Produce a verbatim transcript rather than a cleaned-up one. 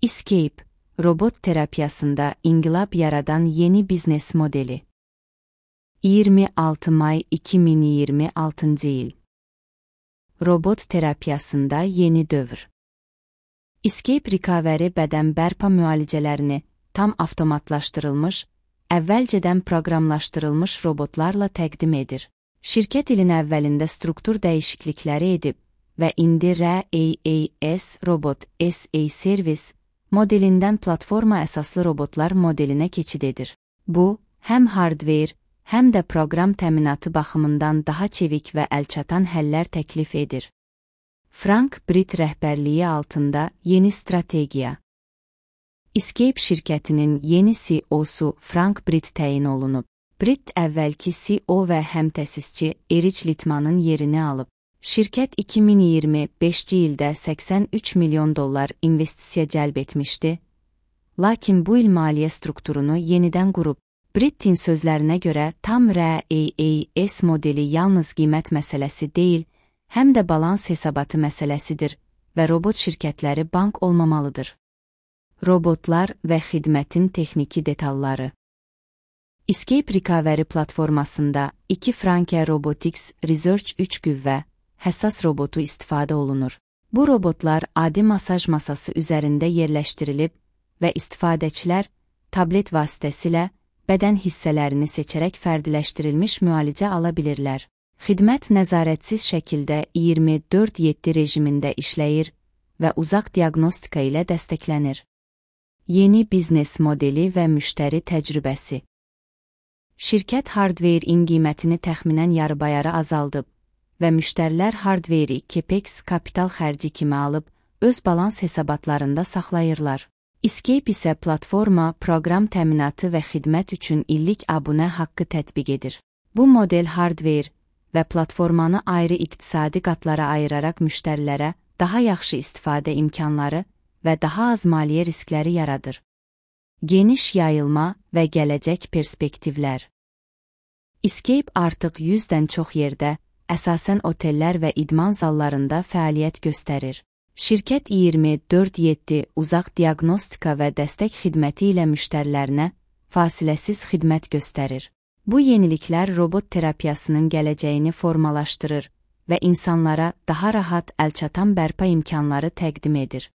Escape, robot terapiyasında inqilab yaradan yeni biznes modeli. iyirmi altı May iki min iyirmi altıncı il. Robot terapiyasında yeni dövr. Escape Recovery bədən bərpa müalicələrini tam avtomatlaşdırılmış, əvvəlcədən proqramlaşdırılmış robotlarla təqdim edir. Şirkət ilin əvvəlində struktur dəyişiklikləri edib və indi R A A S Robot S A Service modelindən platforma əsaslı robotlar modelinə keçid edir. Bu, həm hardware, həm də proqram təminatı baxımından daha çevik və əlçatan həllər təklif edir. Frank Britt rəhbərliyi altında yeni strategiya. Escape şirkətinin yeni C E O'su Frank Britt təyin olunub. Britt əvvəlki C E O və həmtəsisçi Erich Littmanın yerini alıb. Şirkət iki min iyirmi beşinci ildə səksən üç milyon dollar investisiya cəlb etmişdi, lakin bu il maliyyə strukturunu yenidən qurub. Brittin sözlərinə görə tam R A A S modeli yalnız qiymət məsələsi deyil, həm də balans hesabatı məsələsidir və robot şirkətləri bank olmamalıdır. Robotlar və xidmətin texniki detalları. Escape Recovery platformasında iki Franke Robotics Research üç qüvvə həssas robotu istifadə olunur. Bu robotlar adi masaj masası üzərində yerləşdirilib və istifadəçilər tablet vasitəsilə bədən hissələrini seçərək fərdiləşdirilmiş müalicə ala bilirlər. Xidmət nəzarətsiz şəkildə iyirmi dörd yeddi rejimində işləyir və uzaq diaqnostika ilə dəstəklənir. Yeni biznes modeli və müştəri təcrübəsi. Şirkət hardware-in qiymətini təxminən yarıbayarı azaldıb və müştərilər hardware-i capex kapital xərci kimi alıb, öz balans hesabatlarında saxlayırlar. Escape isə platforma, proqram təminatı və xidmət üçün illik abunə haqqı tətbiq edir. Bu model hardware və platformanı ayrı iqtisadi qatlara ayıraraq müştərilərə daha yaxşı istifadə imkanları və daha az maliyyə riskləri yaradır. Geniş yayılma və gələcək perspektivlər. Escape artıq yüzdən çox yerdə, əsasən otellər və idman zallarında fəaliyyət göstərir. Şirkət iyirmi dörd yeddi uzaq diaqnostika və dəstək xidməti ilə müştərilərinə fasiləsiz xidmət göstərir. Bu yeniliklər robot terapiyasının gələcəyini formalaşdırır və insanlara daha rahat əlçatan bərpa imkanları təqdim edir.